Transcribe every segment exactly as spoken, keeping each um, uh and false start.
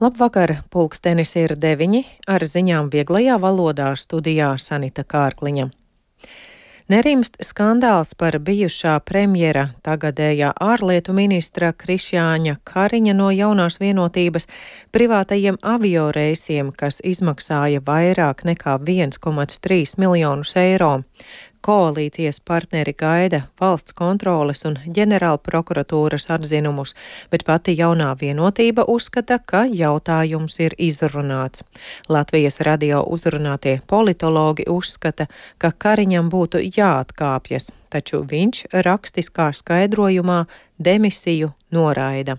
Labvakar, pulkstenis ir deviņi, ar ziņām vieglajā valodā studijā Sanita Kārkliņa. Nerimst skandāls par bijušā premjera, tagadējā ārlietu ministra Krišjāņa Kariņa no Jaunās Vienotības privātajiem avioreisiem, kas izmaksāja vairāk nekā viens komats trīs miljonus eiro. Koalīcijas partneri gaida valsts kontroles un ģenerāla prokuratūras atzinumus, bet pati Jaunā Vienotība uzskata, ka jautājums ir izrunāts. Latvijas radio uzrunātie politologi uzskata, ka Kariņam būtu jāatkāpjas, taču viņš rakstiskā skaidrojumā demisiju noraida.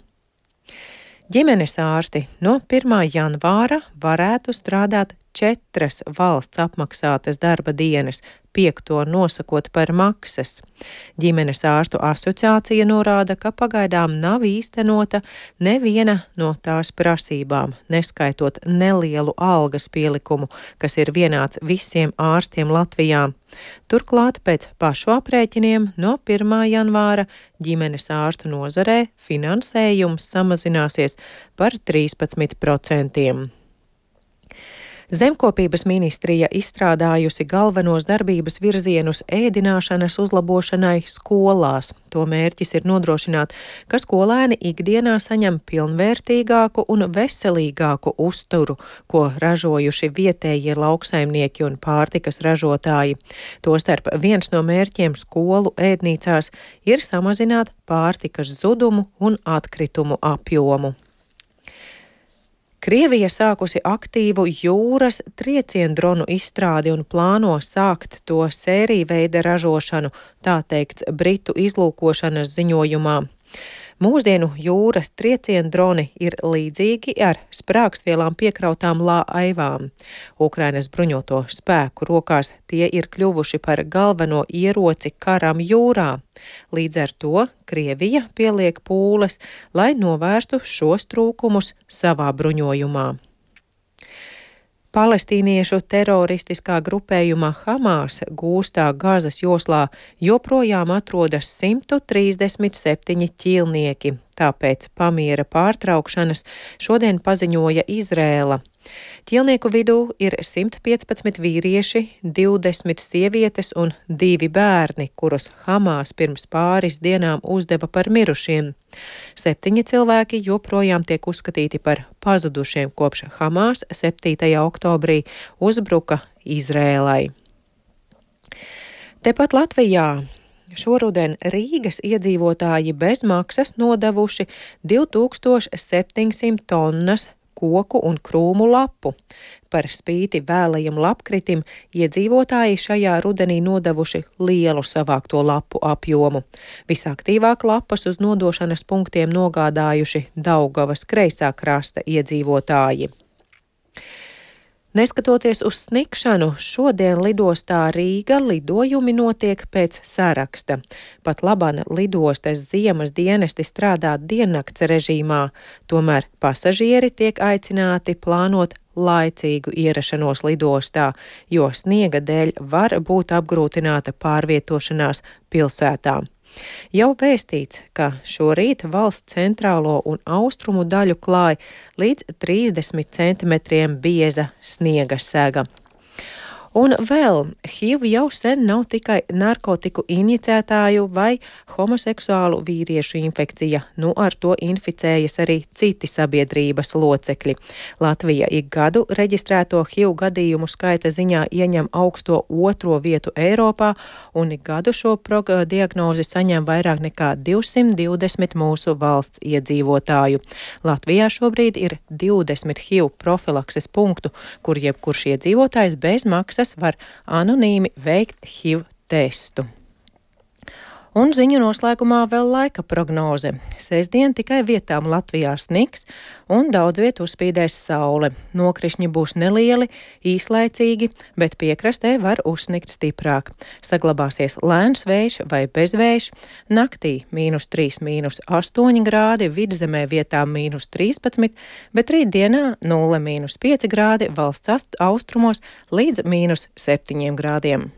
Ģimenes ārsti no pirmā janvāra varētu strādāt četras valsts apmaksātas darba dienas, piekto nosakot par maksas. Ģimenes ārstu asociācija norāda, ka pagaidām nav īstenota neviena no tās prasībām, neskaitot nelielu algas pielikumu, kas ir vienāds visiem ārstiem Latvijā. Turklāt pēc pašu aprēķiniem no pirmā janvāra ģimenes ārstu nozarē finansējums samazināsies par trīspadsmit procentiem. Zemkopības ministrija izstrādājusi galvenos darbības virzienus ēdināšanas uzlabošanai skolās. To mērķis ir nodrošināt, ka skolēni ikdienā saņem pilnvērtīgāku un veselīgāku uzturu, ko ražojuši vietējie lauksaimnieki un pārtikas ražotāji. Tostarp viens no mērķiem skolu ēdnīcās ir samazināt pārtikas zudumu un atkritumu apjomu. Krievija sākusi aktīvu jūras trieciendronu izstrādi un plāno sākt to sēriju veida ražošanu, tā teikts Britu izlūkošanas ziņojumā. Mūsdienu jūras trieciendroni ir līdzīgi ar sprākstvielām piekrautām laivām. Ukrainas bruņoto spēku rokās tie ir kļuvuši par galveno ieroci karam jūrā. Līdz ar to Krievija pieliek pūles, lai novērstu šos trūkumus savā bruņojumā. Palestīniešu teroristiskā grupējuma Hamas gūstā Gazas joslā joprojām atrodas simt trīsdesmit septiņi ķīlnieki, tāpēc pamiera pārtraukšanas šodien paziņoja Izrēla. Ķīlnieku vidū ir simt piecpadsmit vīrieši, divdesmit sievietes un divi bērni, kurus Hamas pirms pāris dienām uzdeva par mirušiem. Septiņi cilvēki joprojām tiek uzskatīti par pazudušiem kopš Hamas septītajā oktobrī uzbruka Izrēlai. Tepat Latvijā šoruden Rīgas iedzīvotāji bez maksas nodevuši divi tūkstoši septiņsimt tonnas koku un krūmu lapu. Par spīti vēlajam lapkritim iedzīvotāji šajā rudenī nodevuši lielu savākto lapu apjomu. Visaktīvāk lapas uz nodošanas punktiem nogādājuši Daugavas kreisā krasta iedzīvotāji. Neskatoties uz snikšanu, šodien lidostā Rīga lidojumi notiek pēc saraksta. Pat labāk lidostas ziemas dienesti strādā diennakts režīmā, tomēr pasažieri tiek aicināti plānot laicīgu ierašanos lidostā, jo sniega dēļ var būt apgrūtināta pārvietošanās pilsētā. Jau vēstīts, ka šorīt valsts centrālo un austrumu daļu klāj līdz trīsdesmit centimetriem bieza sniega sega. Un vēl, H I V jau sen nav tikai narkotiku injicētāju vai homoseksuālu vīriešu infekcija, nu ar to inficējas arī citi sabiedrības locekļi. Latvija ik gadu reģistrēto H I V gadījumu skaita ziņā ieņem augsto otro vietu Eiropā, un ik gadu šo diagnozi saņem vairāk nekā divsimt divdesmit mūsu valsts iedzīvotāju. Latvijā šobrīd ir divdesmit H I V profilakses punktu, kur jebkurš iedzīvotājs bez maksas var anonīmi veikt H I V testu. Un ziņu noslēgumā vēl laika prognoze. Sestdien tikai vietām Latvijā sniks un daudz viet uzspīdēs saule. Nokrišņi būs nelieli, īslaicīgi, bet piekrastē var uzsnikt stiprāk. Saglabāsies lēns vējš vai bezvējš. Naktī mīnus trīs, mīnus astoņi grādi, vidzemē vietām mīnus trīspadsmit, bet rītdienā nulle mīnus pieci grādi, valsts austrumos līdz mīnus septiņiem grādiem.